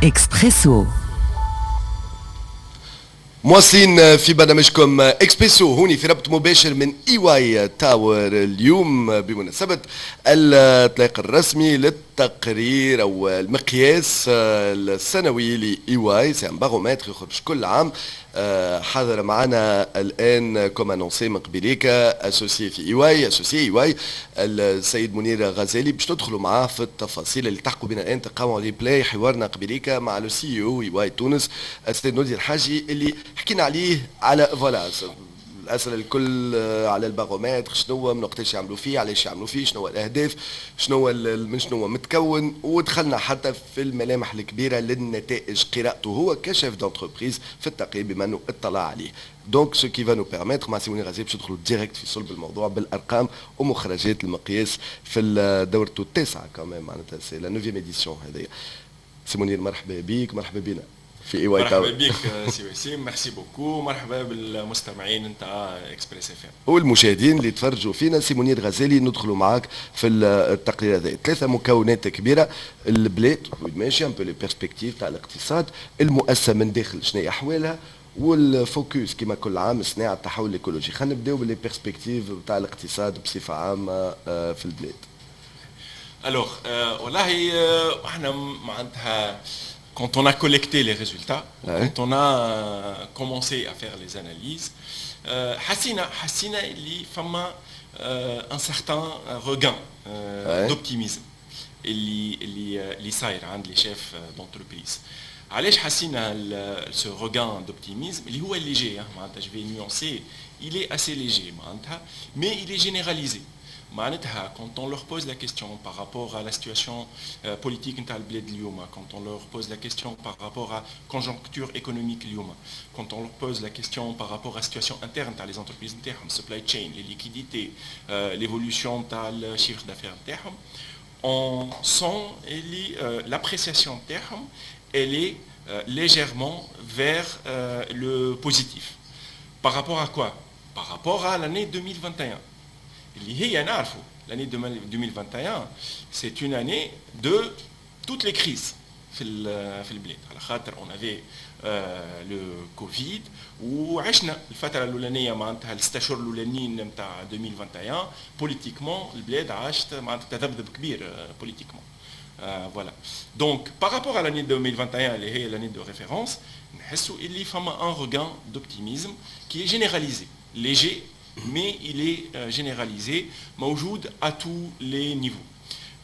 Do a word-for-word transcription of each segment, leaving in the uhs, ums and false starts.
اكسبريسو. مواصلين في برنامجكم اكسبريسو، هوني في ربط مباشر من E Y Tower، اليوم بمناسبة الاطلاق الرسمي للتقرير او المقياس السنوي ل E Y، c'est un baromètre يخرج كل عام. حاضر معنا الان comme annoncé من قبيليك associé في E Y، associé E Y، السيد منير غزالي، باش ندخلوا معاه في التفاصيل. اللي التحقوا بنا الان تلقاو replay حوارنا قبيليك مع le C E O E Y تونس السيد نودي الحاجي، اللي حكينا عليه على voilà الاسئلة الكل على البارومتر، شنو من وقتاش يعملوا فيه، علاش يعملوا فيه، شنو الاهداف، شنو من شنو متكون، ودخلنا حتى في الملامح الكبيرة للنتائج، قراءته هو ك chef d'entreprise في التقرير بما انه اطلع عليه. donc ce qui va nous permettre مع سي منير غزالي باش ندخلوا direct في صلب الموضوع بالارقام ومخرجات المقياس في دورته التاسعة quand même، معناتها c'est la neuvième édition هذه. سي منير، مرحبا بك، مرحبا بنا في E Y. مرحبا بك سي وسيم، merci beaucoup، مرحبا بالمستمعين نتاع Express F M. والمشاهدين اللي تفرجوا فينا. سي منير غزالي، ندخلوا معاك في التقرير هذا، ثلاثة مكونات كبيره: البلاد وين ماشيه، un peu les perspectives تاع الاقتصاد، المؤسسة من داخل شنو هي احوالها، وال focus كما كل عام صناعة التحول الايكولوجي. خلينا نبداو ب les perspectives تاع الاقتصاد بصفة عامة آه، في البلاد. alors والله احنا معناتها quand on a collecté les résultats, ouais. quand on a euh, commencé à faire les analyses, حسينا حسينا اللي فما un certain regain ouais. d'optimisme اللي اللي اللي صاير عند les chefs d'entreprise. علاش حسينا ce regain d'optimisme اللي هو léger؟ معناتها je vais nuancer، il est assez léger معناتها، mais il est généralisé. معناتها quand on leur pose la question par rapport à la situation euh, politique نتاع البلاد اليوم، quand on leur pose la question par rapport à conjoncture économique اليوم، quand on leur pose la question par rapport à la situation interne نتاع les entreprises نتاعهم، supply chain، les liquidités، euh, l'évolution نتاع ال chiffre d'affaires نتاعهم، on sent اللي euh, l'appréciation نتاعهم elle est euh, légèrement vers euh, le positif. Par rapport à quoi؟ Par rapport à l'année deux mille vingt et un. اللي هي نعرفوا l'année deux mille vingt et un c'est une année de toutes les crises في في البلاد، على خاطر on avait le Covid وعشنا الفترة الاولانيه، معناتها الست اشهر الاولانيين نتاع ألفين وواحد وعشرين، politiquement البلاد عاشت معناتها تذبذب كبير politiquement. voilà، donc par rapport à l'année deux mille vingt et un اللي هي l'année de référence، نحسوا اللي فما un regain d'optimisme qui est généralisé، léger mais il est euh, généralisé، موجود à tous les niveaux.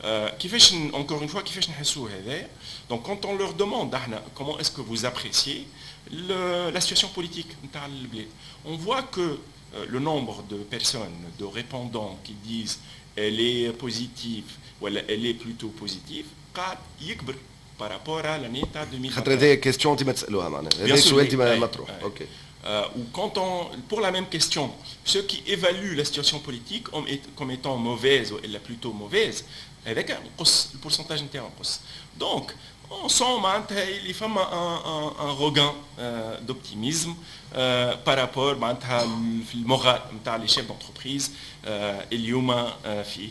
Euh, كيفاش encore une fois كيفاش نحسوا هذا؟ donc quand on leur demande احنا comment est-ce que vous appréciez le, la situation politique نتاع البلاد، on voit que euh, le nombre de personnes، de répondants qui disent elle est positive ولا elle est plutôt positive، قاعد يكبر par rapport à l'année تاع ألفين وواحد وعشرين. خاطر هذه question انت ما تسالوها، معناها هذا سؤال ديما مطروح، OK. Euh, ou quand on, pour la même question, ceux qui évaluent la situation politique comme étant mauvaise ou la plutôt mauvaise, avec un le pourcentage نتاعهم نقص. Donc, on sent معناتها اللي فما un, un, un regain euh, d'optimisme euh, par rapport معناتها في ال moral نتاع les chefs d'entreprise euh, اليوم في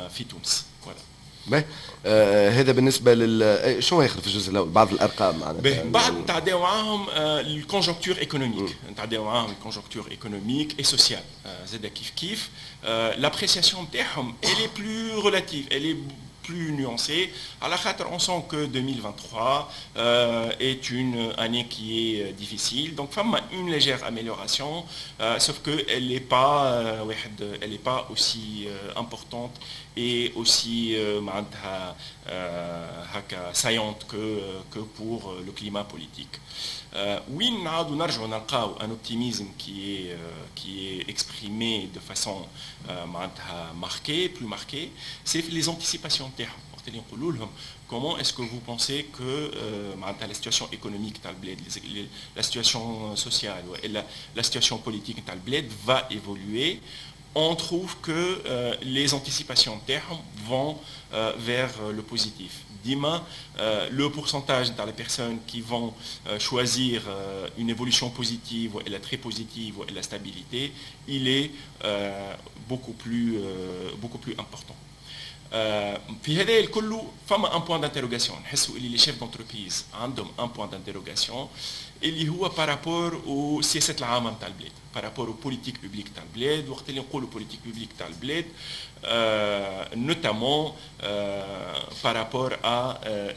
في تونس. Voilà. باهي، آه هذا بالنسبة لل آه، شنو ياخذ في الجزء الاول، بعض الارقام معناتها. بعد نتعداو معاهم ال conjoncture économique، نتعداو معاهم ال conjoncture économique et sociale زاد كيف كيف، l'appréciation نتاعهم elle est plus relative، elle est plus nuancée. على خاطر on sent que deux mille vingt-trois euh, est une année qui est euh, difficile. Donc, فما une légère amélioration, euh, sauf qu'elle n'est pas, euh, elle n'est pas aussi euh, importante et aussi euh, saillante que, que pour le climat politique. وين نعاودوا نرجعوا نلقاو un optimisme qui est qui est exprimé de façon معناتها marquée، plus marquée، c'est les anticipations نتاعهم. وقت اللي نقولوا لهم comment est-ce que vous pensez que معناتها la situation économique تاع البلاد، la situation sociale والا la situation politique نتاع البلاد va évoluer، on trouve que euh, les anticipations نتاعهم vont euh, vers le positif. ديما euh, le pourcentage dans les personnes qui vont euh, choisir euh, une évolution positive ou la très positive ou la stabilité, il est beaucoup plus, beaucoup plus important. في هذا الكل فما un point d'interrogation، نحسوا اللي les chefs d'entreprise عندهم un point d'interrogation اللي هو par rapport aux السياسات العامة نتاع البلاد، par rapport aux politiques publiques تاع البلاد. وقت اللي نقولوا politiques publiques تاع البلاد، notamment par rapport à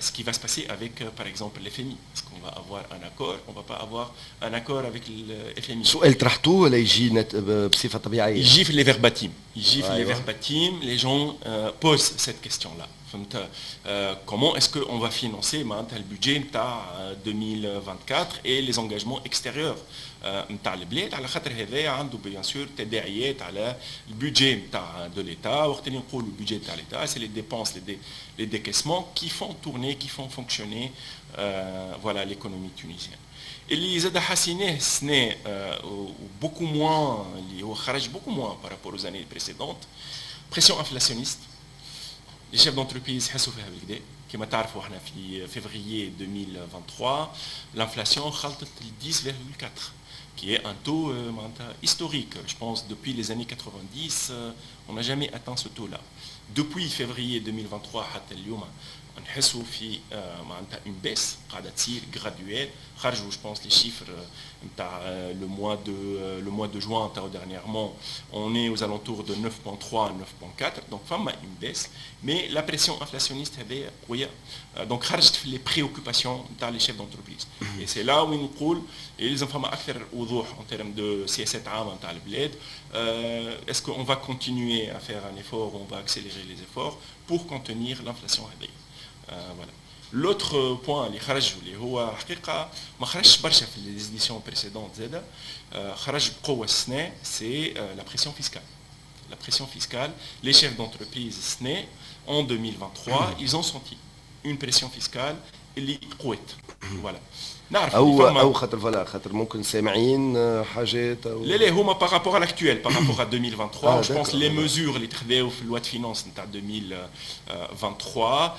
ce qui va se passer avec par exemple l'F M I. Est-ce qu'on va avoir un accord؟ On va pas avoir un accord avec le F M I؟ سؤال طرحتوه ولا يجي بصفة طبيعيه؟ يجي في les verbatims، يجي في les verbatims، les gens posent cette question-là، فهمت؟ comment est-ce qu'on va financer معناتها ال budget نتاع ألفين وأربعة وعشرين et les engagements extérieurs نتاع البلاد؟ على خاطر هذايا عنده bien sûr تداعيات على ال budget نتاع de l'État. وقت اللي نقولوا ال budget نتاع l'État، c'est les dépenses، les les décaissements qui font tourner، qui font fonctionner voilà l'économie tunisienne. اللي زاد حسيناه السنة beaucoup moins، اللي هو خرج beaucoup moins par rapport aux années précédentes، pression inflationniste. les chefs d'entreprise يحسوا فيها بالكدا. كما تعرفوا احنا في فيفري ألفين وثلاثة وعشرين l'inflation خلطت عشرة فاصلة أربعة qui est un taux euh, historique. Je pense depuis les années quatre-vingt-dix, euh, on n'a jamais atteint ce taux-là. Depuis février ألفين وثلاثة وعشرين حتى اليوم نحسوا في معناتها une baisse قاعدة تصير graduelle. خرجوا je pense les chiffres نتاع le mois de le mois de juin تاع dernièrement، on est aux alentours de neuf virgule trois، neuf virgule quatre، donc فما une baisse، mais la pression inflationniste هذه قويه، donc خرجت في les préoccupations نتاع les chefs d'entreprise. et c'est là وين نقول يلزم فما اكثر وضوح en termes de سياسات عامة نتاع البلاد. est-ce qu'on va continuer à faire un effort، on va accélérer les efforts pour contenir l'inflation هذه؟ voilà. l'autre point اللي خرج، واللي هو حقيقة ما خرجش برشا في les éditions précédentes، زاده خرج بقوة السنه، c'est la pression fiscale. la pression fiscale، les chefs d'entreprise السنة en deux mille vingt-trois ils ont senti une pression fiscale اللي قوت، voilà. نعرف او او خاطر voilà، خاطر ممكن سامعين حاجات او لا لا، هما par rapport à l'actuel، par rapport à deux mille vingt-trois، je pense les mesures اللي تخذاو في loi de finances نتاع deux mille vingt-trois،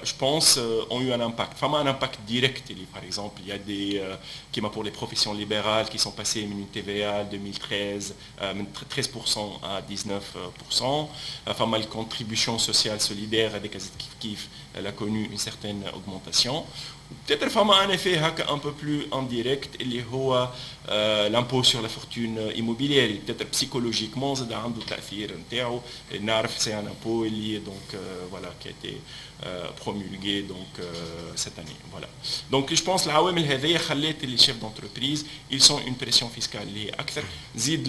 je pense ont eu un impact. فما un impact direct اللي par exemple il y a des كيما pour les professions libérales qui sont passées من une T V A deux mille treize من treize pour cent à dix-neuf pour cent. فما ال contribution sociale solidaire هذيك كيف كيف، elle a connu une certaine augmentation. peut-être فما un effet هكا un peu plus indirect اللي هو l'impôt sur la fortune immobilière، peut-être psychologiquement زاد عنده تاثير نتاعو. نعرف c'est un impôt اللي donc voilà qui a été promulgué donc cette année، voilà. donc je pense العوامل هذيا خلات les chefs d'entreprise ils sentent une pression fiscale اللي هي اكثر. زيد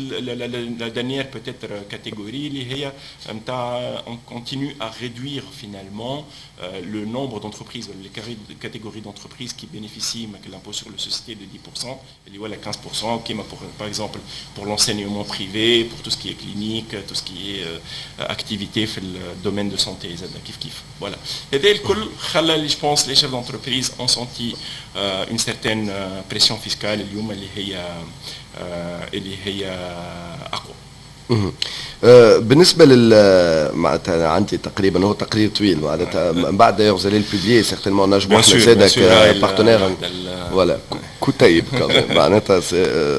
la dernière peut-être catégorie اللي هي نتاع on continue à réduire finalement le nombre d'entreprises، les catégories d'entreprises qui bénéficient de l'impôt sur les sociétés de dix pour cent اللي ولا quinze pour cent، كيما pour, par exemple pour l'enseignement privé، pour tout ce qui est clinique، tout ce qui est euh, activité في le domaine de santé زاد كيف كيف، voilà. هذا الكل خلى je pense les chefs d'entreprise ont senti euh, une certaine euh, pression fiscale اليوم اللي هي اللي هي اقوى. بالنسبة لل معناتها عندي تقريبا هو تقرير طويل، معناتها من بعد d'ailleurs vous allez le publier certainement، نجموا احنا زاده ك partenaires، voilà، كتيب معناتها،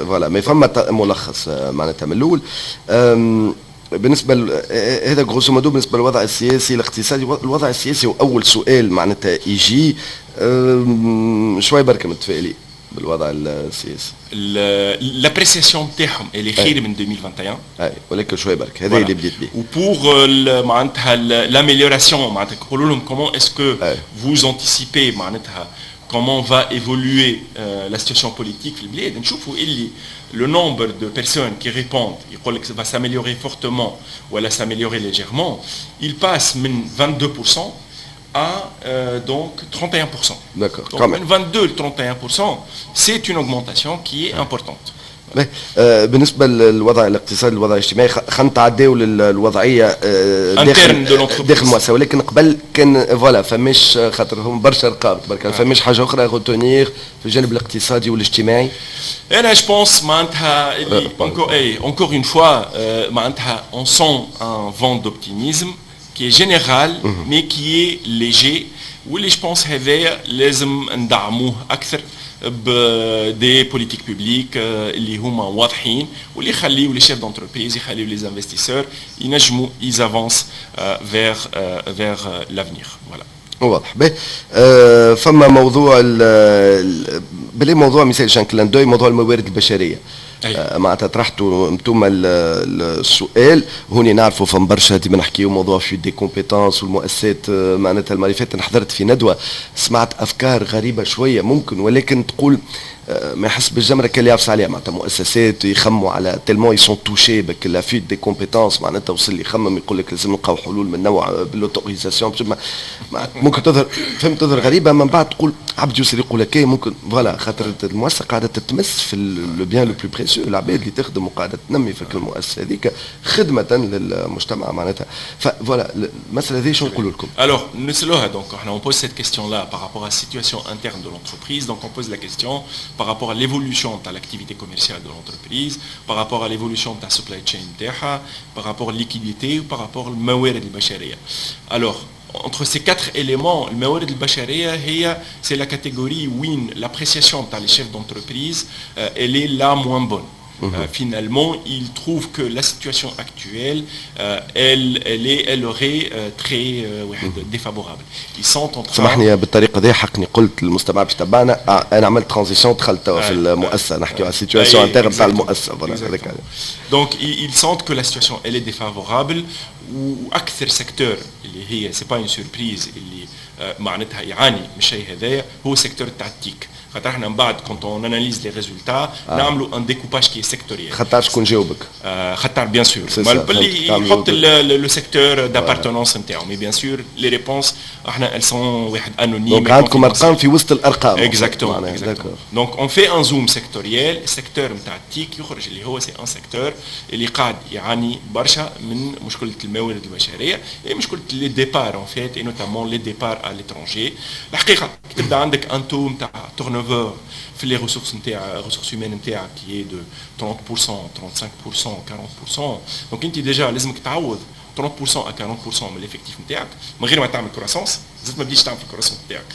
voilà، mais فما ملخص معناتها من الاول. بالنسبة هذا grosso modo بالنسبة للوضع السياسي الاقتصادي. الوضع السياسي هو اول سؤال معناتها يجي، شوي بركة متفائلين بالوضع السياسي؟ l'appréciation نتاعهم اللي خير من ألفين وواحد وعشرين. اي، ولكن شوي برك، هذا اللي بديت به. و pour معناتها l'amélioration، معناتها نقولوا لهم comment est-ce que vous anticipez معناتها comment va évoluer euh, la situation politique في البلاد، نشوفوا اللي le nombre de personnes qui répondent يقول لك va s'améliorer fortement ولا s'améliorer légèrement، il passe من vingt-deux pour cent à euh, donc trente et un pour cent. D'accord. Donc من vingt-deux ل trente et un pour cent، c'est une augmentation qui est importante. آه بالنسبة للوضع الاقتصادي، الوضع الاجتماعي، خلينا نتعداو للوضعيه آه داخل داخل المؤسسه، ولكن قبل كان voilà فماش، خاطر هم برشا ارقام تبارك الله، فماش حاجة اخرى retenir في الجانب الاقتصادي والاجتماعي؟ انا je pense معناتها اللي encore اي encore une fois معناتها on sent un vent d'optimisme qui est général mais qui est léger، واللي je pense هذايا لازم ندعموه اكثر. ب des politiques publiques اللي هما واضحين واللي يخليو les chefs d'entreprise، يخليو les investisseurs ينجموا ils avancent vers vers l'avenir، voilà. واضح. به آه فما موضوع بلي موضوع مثال un clin d'œil، موضوع الموارد البشريه. آه معناتها طرحتوا انتم السؤال هوني، نعرفوا فما برشا ديما نحكيو موضوع fuite des compétences والمؤسسات. آه، معناتها المرة اللي فاتت حضرت في ندوه، سمعت افكار غريبة شوية ممكن، ولكن تقول آه، ما يحس بالجمره كان اللي يعفس عليها. معناتها مؤسسات يخموا على tellement ils sont touchés بك la fuite des compétences، معناتها وصل يخمم يقول لك لازم نلقاو حلول من نوع بال autorisation. ممكن تظهر، فهمت، تظهر غريبه، من بعد تقول عبد يوصل يقول لك ممكن voilà، خاطر المؤسسة قاعدة تتمس في le bien le plus précieux، العباد اللي تخدم وقاعدة تنمي في المؤسسة هذيك خدمة للمجتمع معناتها. ف voilà المسالة هذه شنو نقولوا لكم؟ Alors نسألوها، donc on pose cette question là par rapport à la situation interne de l'entreprise، donc on pose la question par rapport à l'évolution de l'activité commerciale de l'entreprise، par rapport à l'évolution de la supply chain نتاعها، par rapport à la liquidité ou par rapport الموارد البشرية. Alors entre ces quatre éléments، الموارد البشرية هي c'est la catégorie وين l'appréciation تاع les chefs d'entreprise euh, elle est la moins bonne. Euh, finalement, ils trouvent que la situation actuelle, euh, elle, elle, est, elle aurait euh, très euh, défavorable. Ils sont en train. سامحني، بالطريقة دي حقني قلت للمستمع باش تبعنا، انا عملت transition، دخلت في المؤسسه، نحكي على ال situation interne تاع المؤسسه، voilà. Donc ils sentent que la situation elle est défavorable، واكثر secteur اللي هي c'est pas une surprise اللي معناتها يعاني من الشيء هذايا هو secteur تاع ال TIC، خاطر احنا من بعد quand on analyse les résultats نعملوا un découpage qui est sectoriel. خاطر شكون جاوبك؟ خاطر bien sûr باللي يحط le secteur d'appartenance نتاعو، mais bien sûr les réponses احنا elles sont واحد anonymes. donc عندكم ارقام في وسط الارقام. exactement. donc on fait un zoom sectoriel، ال secteur نتاع ال TIC يخرج اللي هو c'est un secteur اللي قاعد يعاني برشا من مشكلة الموارد البشرية، مشكلة les départs en fait، et notamment les départs à l'étranger. الحقيقة كي تبدا عندك un taux نتاع turnover في les ressources نتاع ressources humaines نتاعك qui est de trente pour cent، trente-cinq pour cent، quarante pour cent، donc انت déjà لازمك تعوض trente pour cent à quarante pour cent من l'effectif نتاعك من غير ما تعمل croissance. زدت ما بديتش تعمل في ال croissance نتاعك،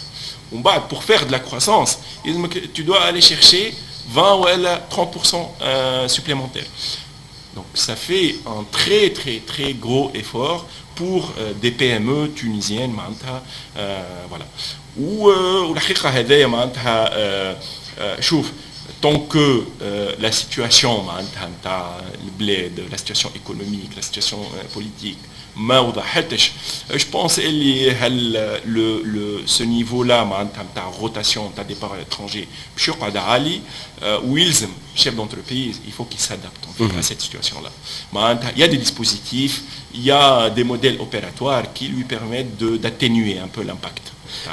ومن بعد pour faire de la croissance لازمك tu dois aller chercher vingt ولا trente pour cent supplémentaires. Donc ça fait un très très très gros effort pour des PME tunisiennes معناتها، voilà. والحقيقة هذايا معناتها شوف، tant que euh, la situation معناتها نتاع البلاد، la situation économique، la situation politique ما وضحتش، je pense اللي هل le le ce niveau-là معناتها نتاع rotation نتاع départ à l'étranger باش يقعد عالي، ويلزم chef d'entreprise il faut qu'il s'adapte en fait à cette situation là. معناتها il y a des dispositifs، il y a des modèles opératoires qui lui permettent de d'atténuer un peu l'impact.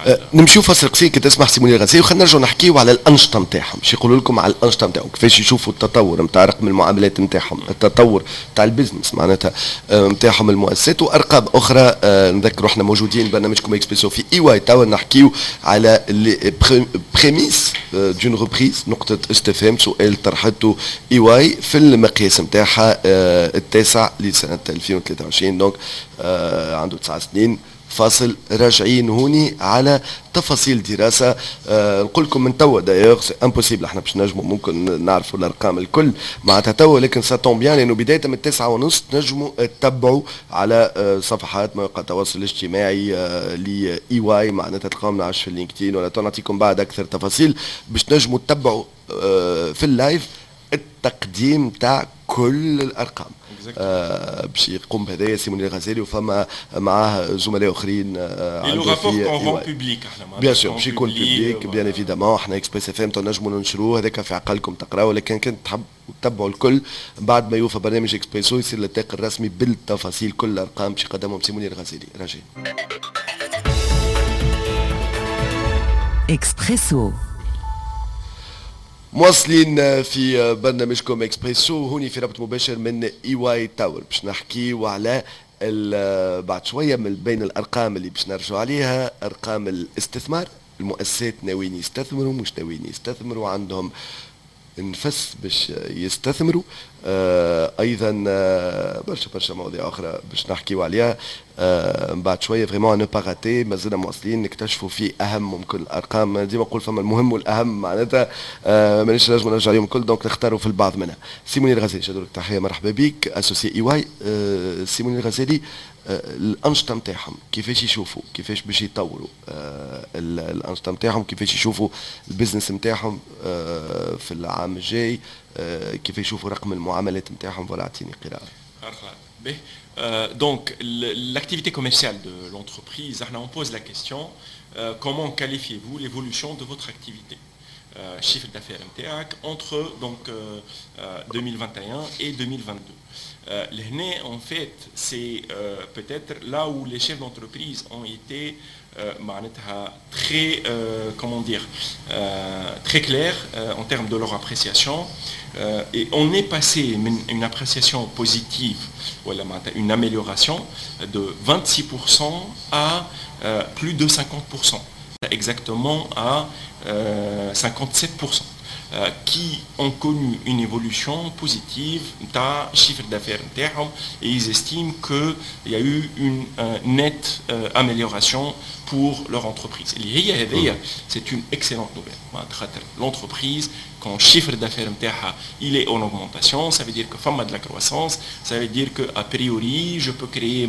أه، نمشيو فاصل قصير كي تسمح سي منير غزالي، وخلينا نرجعوا نحكيو على الانشطة نتاعهم، باش يقولوا لكم على الانشطة نتاعهم، كيفاش يشوفوا التطور نتاع رقم المعاملات نتاعهم، التطور نتاع ال business معناتها نتاعهم المؤسسات، وارقام اخرى. أه، نذكروا احنا موجودين برنامجكم اكسبريسو في EY Tower، نحكيو على les prémices d'une reprise، نقطة استفهام، سؤال طرحته EY في المقياس نتاعها أه، التاسع لسنه ألفين وثلاثة وعشرين، donc عنده تسع سنين. فاصل، راجعين هوني على تفاصيل دراسة. آه نقول لكم من توا d'ailleurs c'est impossible احنا باش نجموا ممكن نعرفوا الارقام الكل معناتها توا، لكن ça tombe bien لانه بداية من التسعة ونص تنجموا تتبعوا على آه صفحات مواقع التواصل الاجتماعي آه ل EY، معناتها تلقاهم نعرفش في LinkedIn ولا نعطيكم بعد اكثر تفاصيل باش تنجموا تتبعوا آه في ال live التقديم تاع كل الارقام. آه باش يقوم بهذايا سي منير الغزالي وفما معاه زملاء اخرين. آه le rapport qu'on rend public احنا bien sûr باش يكون public، bien évidemment، احنا Express FM تنجموا ننشروه، هذاك في عقلكم تقراوه، ولكن كنت تحب تتبعوا الكل بعد ما يوفى برنامج اكسبريسو يصير الإطلاق الرسمي بالتفاصيل، كل الارقام باش يقدمهم سي منير الغزالي. راجعين. اكسبريسو. مواصلين في برنامجكم اكسبريسو هوني في ربط مباشر من EY Tower، باش نحكيو على بعد شوية من بين الارقام اللي باش نرجعوا عليها ارقام الاستثمار، المؤسسات ناويين يستثمروا، مش ناويين يستثمروا، عندهم النفس باش يستثمروا. آه ايضا آه برشا برشا مواضيع اخرى باش نحكيو عليها آه من بعد شويه. vraiment ne pas rater. مازلنا مواصلين نكتشفوا في اهم ممكن الارقام. ديما نقول فما المهم والاهم، معناتها آه مانيش نجم نرجع عليهم الكل، donc نختاروا في البعض منها. سي منير الغزالي، شدوا لك تحيه، مرحبا بك، associé EY. آه سي منير الغزالي، آه الانشطة نتاعهم كيفاش يشوفوا، كيفاش باش يطوروا آه الانشطة نتاعهم، كيفاش يشوفوا ال business نتاعهم آه في العام الجاي، آه كيف يشوفوا رقم المعاملات نتاعهم؟ voilà، اعطيني قراءه. Euh, donc, l'activité commerciale de l'entreprise, on pose la question: euh, comment qualifiez-vous l'évolution de votre activité euh, chiffre d'affaires نتاعك entre donc deux mille vingt et un et deux mille vingt-deux؟ لهنا en fait, c'est peut-être là où les chefs d'entreprise ont été معناتها très, comment dire, très clairs en termes de leur appréciation. Et on est passé une appréciation positive, voilà, une amélioration de vingt-six pour cent à plus de cinquante pour cent, exactement à cinquante-sept pour cent qui ont connu une évolution positive d'un chiffre d'affaires نتاعهم et ils estiment qu'il y a eu une nette amélioration pour leur entreprise. C'est une excellente nouvelle. L'entreprise, quand le chiffre d'affaires نتاعها il est en augmentation, ça veut dire que فما de la croissance, ça veut dire que a priori je peux créer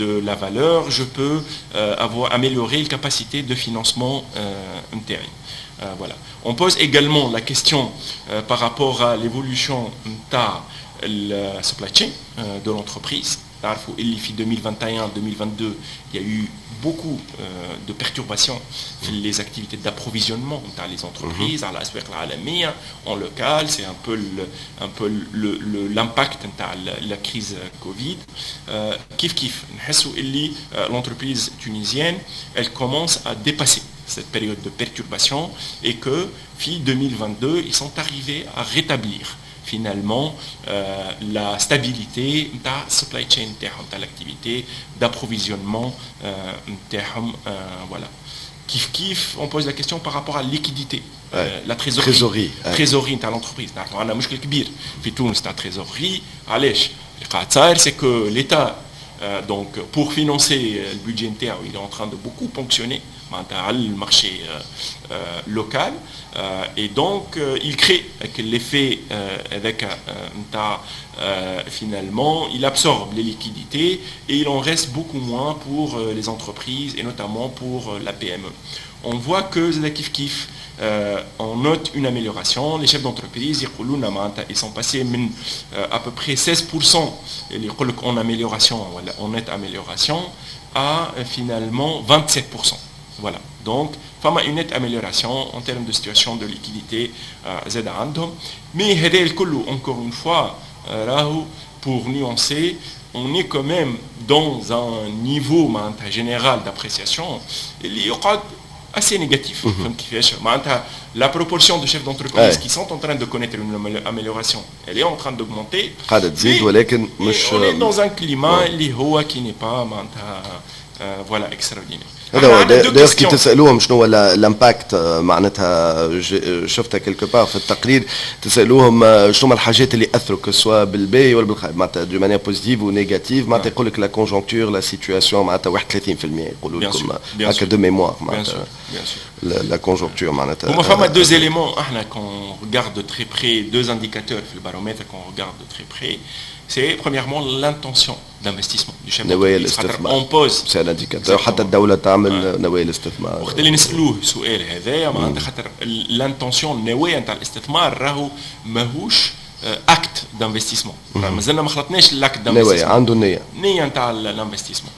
de la valeur, je peux avoir amélioré la capacité de financement نتاعي. Voilà. On pose également la question euh, par rapport à l'évolution de la supply chain euh, de l'entreprise. تعرفوا اللي في deux mille vingt et un-deux mille vingt-deux, il y a eu beaucoup euh, de perturbations في les activités d'approvisionnement نتاع les entreprises على الأسواق العالمية, en local, c'est un peu le, un peu le, le, l'impact نتاع la crise Covid. Euh, كيف كيف نحسوا اللي l'entreprise tunisienne, elle commence à dépasser cette période de perturbation et que في deux mille vingt-deux, ils sont arrivés à rétablir finalement euh, la stabilité de la supply chain de l'activité d'approvisionnement euh, voilà. كيف كيف on pose la question par rapport à la liquidité, euh, la trésorerie. Trésorerie. Trésorerie نتاع l'entreprise. نعرفوا عندنا مشكل كبير في تونس تاع trésorerie. علاش؟ اللي قاعد صاير c'est que l'État, donc pour financer le budget نتاعو, il est en train de beaucoup ponctionner معناتها على le marché local et donc il crée l'effet avec finalement il absorbe les liquidités et il en reste beaucoup moins pour les entreprises et notamment pour la P M E. On voit que زادة كيف كيف on note une amélioration. Les chefs d'entreprise, ils sont passés من à peu près seize pour cent en amélioration, en nette amélioration, à finalement vingt-sept pour cent. Voilà. Donc, فما une nette amélioration en termes de situation de liquidité زادة عندهم. Mais هذا الكل, encore une fois, راهو pour nuancer, on est quand même dans un niveau معناتها général d'appréciation اللي يقعد assez négatif. فهمت كيفاش؟ معناتها la proportion de chefs d'entreprise qui sont en train de connaître une amélioration, elle est en train d'augmenter. قاعدة تزيد ولكن مش on est dans un climat اللي هو qui n'est pas معناتها voilà extraordinaire. هذا هو. d'ailleurs كي تسالوهم شنو هو l'impact، معناتها شفتها quelque part في التقرير، تسالوهم شنو هما الحاجات اللي اثروا que ce soit بالباهي ولا بالخايب، معناتها d'une manière positive ou négative، معناتها يقول لك la conjoncture, la situation، معناتها واحد وثلاثين في المية يقولوا لكم هكا de mémoire، معناتها la conjoncture معناتها. هما فما deux éléments احنا qu'on regarde de très près, deux indicateurs في ال baromètre qu'on regarde de très près. C'est premièrement l'intention d'investissement du chef. نوايا الاستثمار. On pose c'est un indicateur، حتى الدولة تعمل نوايا الاستثمار. وقت اللي نسالوه السؤال هذايا، معناتها خاطر l'intention، النوايا نتاع الاستثمار، راهو ماهوش acte d'investissement، مازلنا ما خلطناش l'acte d'investissement. نوايا، عنده النية. النية نتاع l'investissement.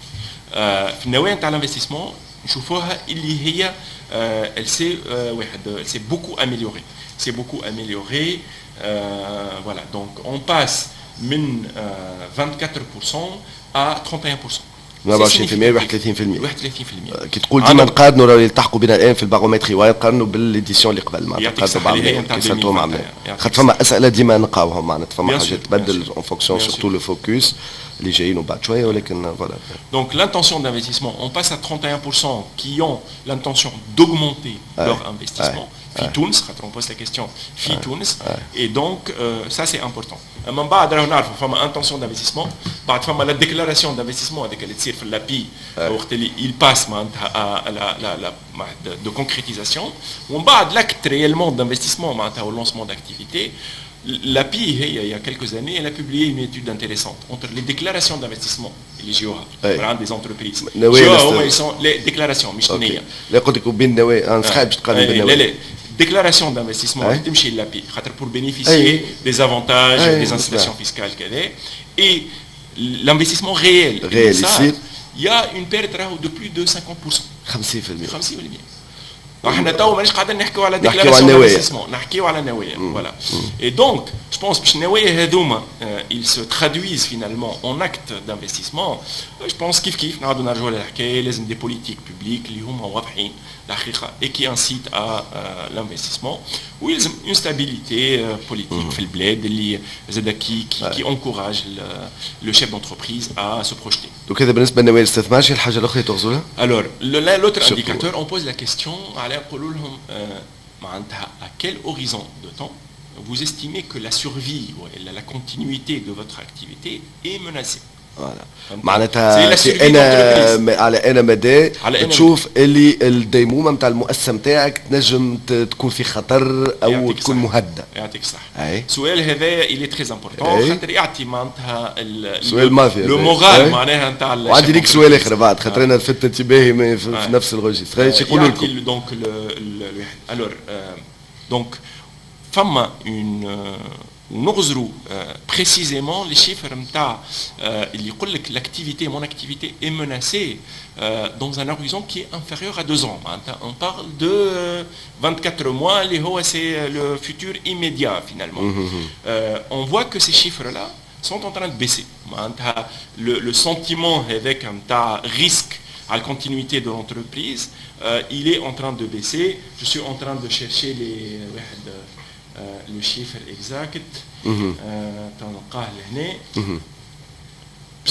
في النوايا نتاع l'investissement نشوفوها اللي هي elle s'est واحد elle s'est beaucoup améliorée, s'est beaucoup améliorée. Voilà, donc on passe من vingt-quatre pour cent à trente et un pour cent. أربعة وعشرين في المية، واحد وثلاثين في المية. واحد وثلاثين في المية. كي تقول ديما نقارنوا، راهو يلتحقوا بنا الان في ال baromètre EY، نقارنوا بال édition اللي قبل، معناتها نقارنوا بعض كي سالتوهم عملنا، خاطر فما اسئلة ديما نلقاوهم، معناتها فما حاجات تبدل en fonction surtout le focus. اللي جايين بعد شويه، ولكن voilà. Donc l'intention d'investissement, on passe à trente et un pour cent qui ont l'intention d'augmenter leur investissement. في تونس، خاطر on pose la question في تونس، et donc euh, ça c'est important. من بعد راهو نعرفوا فما intention d'investissement، بعد فما la déclaration d'investissement هذيك اللي تصير في l'API وقت اللي il passe معناتها à la la la de concrétisation، ومن بعد l'acte réellement d'investissement معناتها au lancement d'activité. L'API, il y a quelques années, elle a publié une étude intéressante entre les déclarations d'investissement اللي يجيوها من عند des entreprises. نوايا. Ils sont les déclarations مش نية. لا، قلت لك بين نوايا، انا صحيح باش تقارن بين لا لا، déclaration d'investissement تمشي l'API خاطر pour bénéficier des avantages, des incitations fiscales كذا، et l'investissement réel réel يصير، il y a une perte de plus de cinquante pour cent. cinquante pour cent. cinquante pour cent. احنا تو مانيش قاعدين نحكيو على déclaration d'investissement، نحكيو على نوايا، voilà. Et donc je pense باش النوايا هذوما ils se traduisent finalement en actes d'investissement، je pense كيف كيف نعاودوا نرجعوا للحكايه، لازم des politiques publiques اللي هما واضحين الحقيقه et qui incitent à l'investissement، ويلزم une stabilité politique في البلاد اللي زاد qui qui qui encourage le chef d'entreprise à se projeter. donc هذا بالنسبه لنوايا الاستثمار، شنو الحاجه الاخرى تغزولها؟ Alors l'autre indicateur, on pose la question على نقولوا لهم معناتها à quel horizon de temps vous estimez que la survie ou la continuité de votre activité est menacée. voilà، معناتها انا على انا مدى تشوف اللي الديمومه نتاع المؤسسه نتاعك تنجم تكون في خطر او تكون مهدده. يعطيك الصح. السؤال هذا il est très important خاطر يعطي معناتها سؤال مافيا. le moral معناها نتاع وعندي ليك سؤال اخر بعد، خاطر انا لفت انتباهي في نفس ال registre، يقولوا لكم donc alors donc فما une ونغزروا précisément les chiffres نتاع اللي يقول لك l'activité, mon activité est menacée dans un horizon qui est inférieur à deux ans. On parle de vingt-quatre mois اللي هو c'est le futur immédiat finalement. On voit que ces chiffres là sont en train de baisser. معناتها le, le sentiment هذاك نتاع risque à la continuité de l'entreprise, euh, il est en train de baisser. Je suis en train de chercher les, euh, le chiffre exact. تنلقاه لهنا.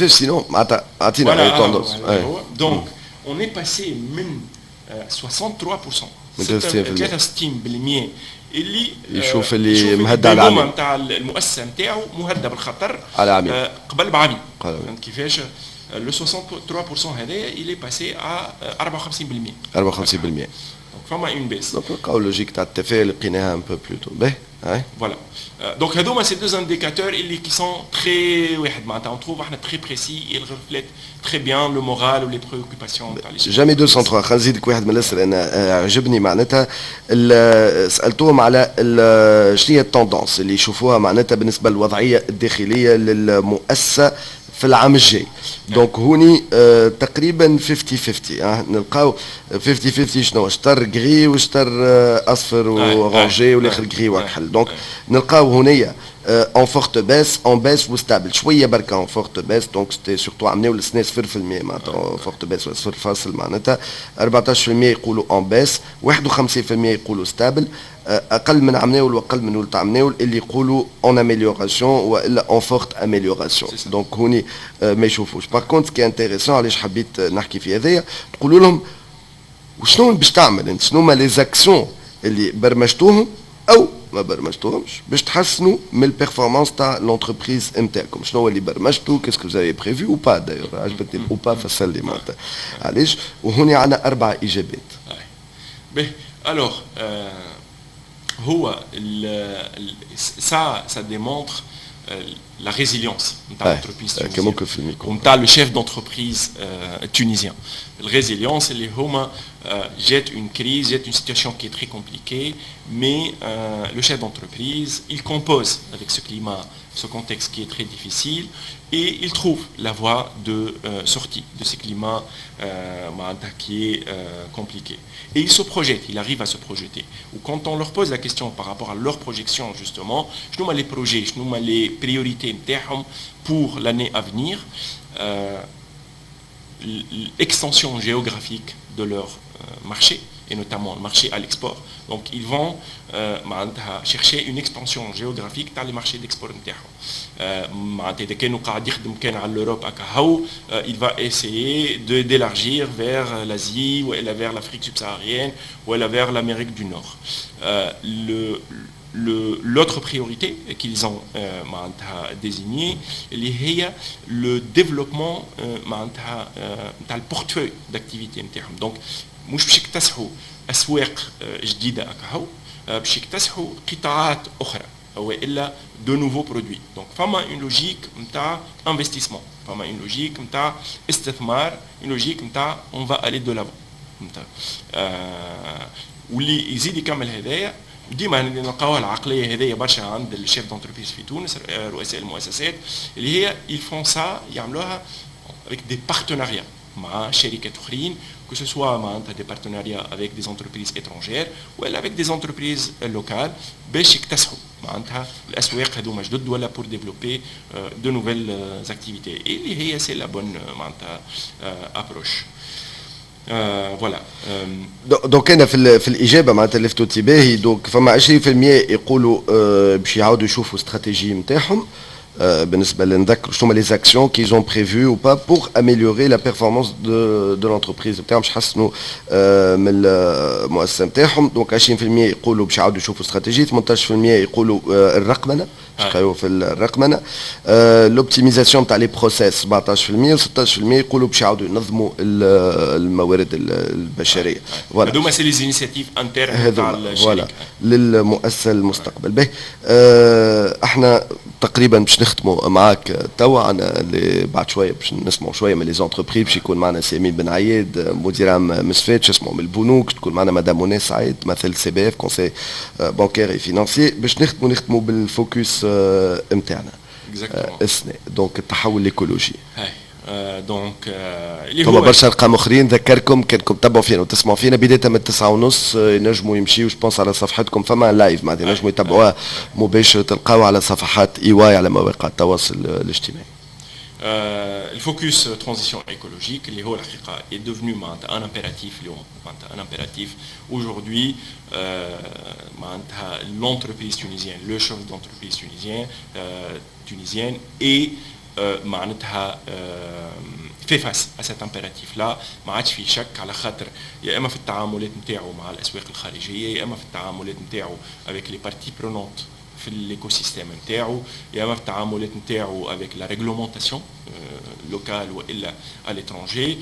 sinon اعطينا tendance. Donc on est passé من soixante-trois pour cent، ثلاثة وستين بالمية اللي يشوف اللي مهدد على العمل نتاع المؤسسه نتاعو مهدده بالخطر على عامين. قبل بعامين، فهمت كيفاش؟ le soixante-trois pour cent هذايا il est passé à أربعة وخمسين بالمية. أربعة وخمسين بالمية. donc فما une baisse. donc نلقاو logique تاع التفاؤل لقيناها un peu plus tôt. باهي. voilà، donc هذوما ces deux indicateurs اللي qui sont très واحد معناتها on trouve احنا très précis, ils reflètent très bien le moral و les préoccupations تاع les jamais deux cent trois. خلينا نزيدك واحد من الاسئله انا عجبني، معناتها سالتوهم على شنو هي ال tendance اللي يشوفوها معناتها بالنسبه للوضعيه الداخليه للمؤسسه في العام الجاي. donc هوني آه تقريبا خمسين خمسين، آه نلقاو خمسين خمسين، شنو شطر gris وشطر آه اصفر و orangé والاخر gris واكحل. donc نلقاو هنيا en forte baisse, en baisse و stable، شويه بركه en forte baisse. donc c'était surtout عملناو السنه صفر في المية معناتها forte baisse ولا صفر فاصل، معناتها أربعطاش في المية يقولوا en baisse، واحد وخمسين في المية يقولوا stable، اقل من عمناول واقل من ولد عمناول اللي يقولوا en amélioration والا en forte amélioration. donc هوني ما يشوفوش. par contre ce qui est intéressant، علاش حبيت نحكي في هذايا، تقولوا لهم وشنو باش تعمل انت، شنو هما les actions اللي برمجتوهم او ما برمجتوهمش باش تحسنوا من ال performance تاع l'entreprise نتاعكم، شنو هو اللي برمجتو، qu'est-ce que vous avez prévu ou pas d'ailleurs. عجبتني ou pas، فسر لي معناتها علاش. وهوني عندنا اربع اجابات. باهي، alors هو ça ça démontre la résilience نتاع l'entreprise tunisienne ونتاع le chef d'entreprise tunisien. ال résilience اللي هما جات une crise, جات une situation qui est très compliquée, mais euh, le chef d'entreprise, il compose avec ce climat, ce contexte qui est très difficile, et il trouve la voie de euh, sortie de ce climat euh, qui est euh, compliqué. Et il se projette, il arrive à se projeter. و quand on leur pose la question par rapport à leur projection, justement, je les projets, je les priorités pour l'année à venir, euh, l'extension géographique de leur marché. et notamment le marché à l'export. Donc ils vont euh, chercher une expansion géographique dans les marchés d'export نتاعهم. معناتها اذا كانوا قاعد يخدم كان على l'Europe هكا, il va essayer de d'élargir vers l'Asie ou vers l'Afrique subsaharienne ou vers l'Amérique du Nord. Euh, le L'autre priorité qu'ils ont euh, désignée, اللي هي le développement معناتها نتاع ال portefeuille d'activité نتاعهم. Donc مش باش يكتسحوا اسواق جديده اكاهو, باش يكتسحوا قطاعات اخرى والا de nouveaux produits. Donc فما une logique نتاع investissement, فما une logique نتاع استثمار, une logique نتاع on va aller de l'avant. واللي يزيد يكمل هذايا, ديما نلقاوها العقليه هذيا برشا عند ال chefs d'entreprise في تونس, رؤساء المؤسسات, اللي هي ils font ça, يعملوها avec des partenariats مع شركات اخرين, que ce soit معناتها des partenariats avec des entreprises étrangères ولا avec des entreprises locales, باش يكتسحوا معناتها الاسواق هذوما جدد ولا pour développer de nouvelles activités, اللي هي c'est la bonne معناتها approche, voilà. donc انا في, في الاجابه معناتها لفتوا انتباهي, donc فما عشرين في المية يقولوا باش يعاودوا يشوفوا استراتيجيه نتاعهم. بالنسبه لنذكر شنو هما les actions qu'ils ont prévues ou pas pour améliorer la performance de de l'entreprise نتاعهم, باش يحسنوا من المؤسسه نتاعهم. donc عشرين في المية يقولوا باش يعاودوا يشوفوا استراتيجيه, ثمنطاش في المية يقولوا الرقمنه, باش في الرقمنه, l'optimisation تاع les process سبعطاش في المية, و ستطاش في المية يقولوا باش يعاودوا ينظموا الموارد البشريه. voilà, هذوما c'est les initiatives internes تاع الشركه للمؤسسه المستقبل. به احنا تقريبا باش نختموا معاك توا, عنا بعد شويه باش نسمعوا شويه من les entreprises, باش يكون معنا سي أمين بن عياد, مدير عام مسفات, باش نسمعوا من البنوك, تكون معنا مدام منى سعيد تمثل CBF, conseil bancaire et financier. باش نختموا نختموا بال focus نتاعنا السنه, donc التحول الايكولوجي. donc اللي هو برشا ارقام اخرين. ذكركم كانكم تتبعوا فينا وتسمعوا فينا بدايه من التسعة ونص, ينجموا يمشيو je pense على صفحتكم, فما live معناتها ينجموا يتبعوها مباشر, تلقاو على صفحات EY على مواقع التواصل الاجتماعي. ال focus transition écologique اللي هو الحقيقه est devenu معناتها un impératif اليوم, معناتها un impératif aujourd'hui. معناتها l'entreprise tunisienne, le chef d'entreprise tunisien tunisienne est معناتها fait face à cet impératif-là. ما عادش في شك, على خاطر يا اما في التعاملات نتاعو مع الاسواق الخارجيه, يا اما في التعاملات نتاعو avec les parties prenantes في l'écosystème نتاعو, يا اما في التعاملات نتاعو avec la réglementation locale والا à l'étranger,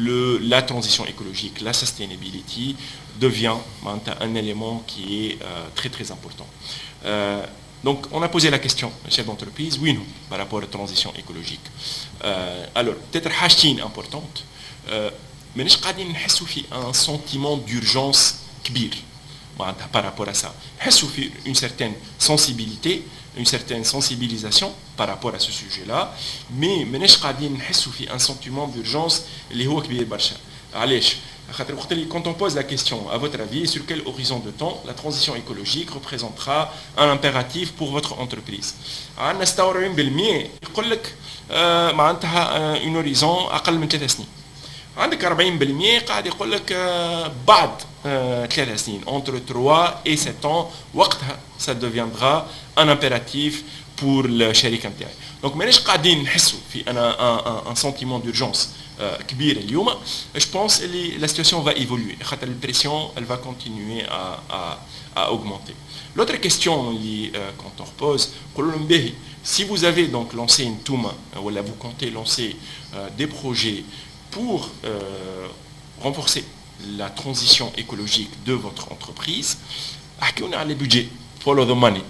le la transition écologique, la sustainability devient un élément qui est euh, très très important. Euh, donc on a posé la question, chef d'entreprise, oui non, par rapport à la transition écologique. Euh, alors, peut-être حاجتين importantes, مانيش قاعدين نحسوا في un sentiment d'urgence كبير معناتها par rapport à ça. نحسوا في une certaine sensibilité, une certaine sensibilisation par rapport à ce sujet-là, mais مانيش قاعدين نحسوا في un sentiment d'urgence اللي هو كبير برشا. علاش؟ خاطر وقت اللي quand on pose la question, à votre avis, sur quel horizon de temps la transition écologique représentera un impératif pour votre entreprise, عندنا ستة وأربعين في المية يقول لك آه معناتها un horizon اقل من ثلاث سنين, عندك أربعين في المية قاعد يقول لك آه بعد آه ثلاث سنين, entre trois et sept ans, وقتها ça deviendra un impératif pour الشركه نتاعي. donc ماناش قاعدين نحسوا في un un sentiment d'urgence كبير اليوم. je pense اللي la situation va évoluer, خاطر ال pression elle va continuer à, à, à augmenter. L'autre question اللي quand on repose, نقولوا لهم باهي, si vous avez donc lancé انتوما ولا vous comptez lancer euh, des projets pour euh, renforcer la transition écologique de votre entreprise, احكيونا على les budgets, follow the money.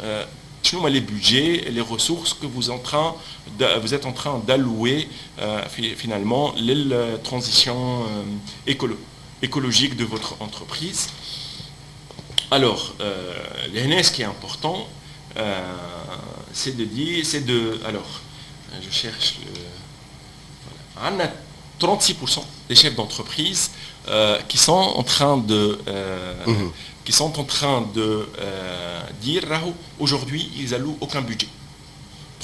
Euh, شنو هما les budgets, les ressources que vous, en train de, vous êtes en train d'allouer euh, finalement la transition euh, écolo écologique de votre entreprise. Alors, euh, ce qui est important, euh, c'est de dire, c'est de, alors, je cherche le, voilà. On a trente-six pour cent des chefs d'entreprise euh, qui sont en train de euh, mmh. qui sont en train de euh, dire راهو aujourd'hui ils allouent aucun budget.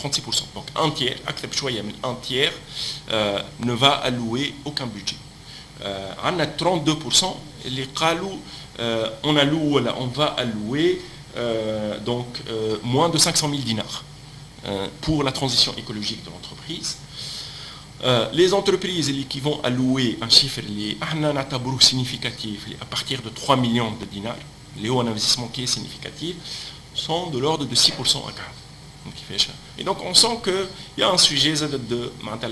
trente-six pour cent, donc un tiers, أكثر بشوية من un tiers euh, ne va allouer aucun budget. عندنا trente-deux pour cent اللي قالوا on alloue ولا on va allouer donc moins de cinq cent mille dinars pour la transition écologique de l'entreprise. Les entreprises qui vont allouer un chiffre اللي احنا نعتبروه significatif à partir de trois millions de dinars, اللي هو un investissement qui est significatif, sont de l'ordre de six pour cent أكهو. Et donc on sent qu'il y a un sujet de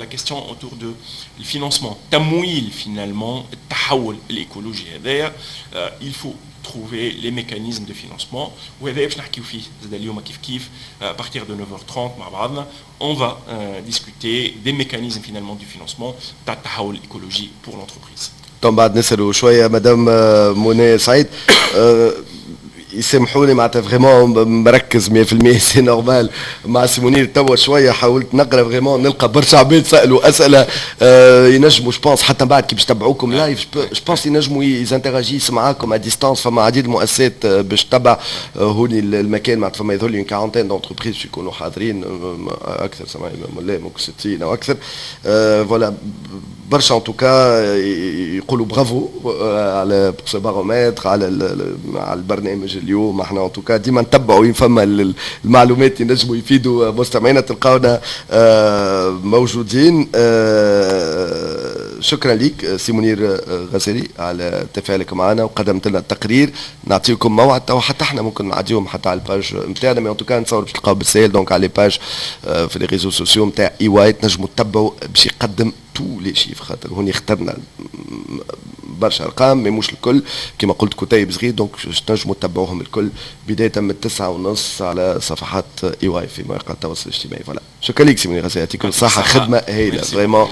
la question autour de le financement. تمويل finalement التحول الإيكولوجي هذايا, il faut trouver les mécanismes de financement. وهذا باش نحكيو فيه زاد اليوم كيف كيف à partir de neuf heures trente مع بعضنا, on va euh, discuter des mécanismes finalement du financement تاع التحول الإيكولوجي pour l'entreprise. طبعا بعد نسألوا شوية مدام منى سعيد. يسامحوني, معناتها vraiment مركز مية في المية, c'est normal, مع سي منير توا شويه. حاولت نقرا, vraiment نلقى برشا عباد سالوا اسئله. آه ينجموا je pense حتى بعد كي باش تبعوكم live, je pense ينجموا ils interagissent معاكم à distance. فما عديد المؤسسات آه، باش تبع آه، هوني المكان, معناتها فما يظهر لي quarantaine d'entreprises باش يكونوا حاضرين، آه، اكثر سمعي ولا ممكن ستين او اكثر. voilà, برشا en tout cas يقولوا برافو على ce baromètre, على على البرنامج اليوم. احنا en tout cas ديما نتبعوا وين فما المعلومات ينجموا يفيدوا مستمعينا, تلقاونا آه، موجودين. آه، شكرا لك سي منير غزالي على تفاعلك معنا وقدمت لنا التقرير. نعطيكم موعد تو, حتى احنا ممكن نعديهم حتى على ال page نتاعنا, mais en tout cas نتصور باش تلقاو بالسهل donc على les pages في les réseaux sociaux نتاع E Y تنجموا تتبعوا باش يقدم tous les chiffres, خاطر هوني اخترنا برشا ارقام mais مش الكل. كما قلت كتيب صغير, donc تنجموا تتبعوهم الكل بداية من التسعة ونص على صفحات E Y في مواقع التواصل الاجتماعي. voilà, شكرا لك سي منير غزالي, يعطيكم الصحة, خدمة هايلة vraiment.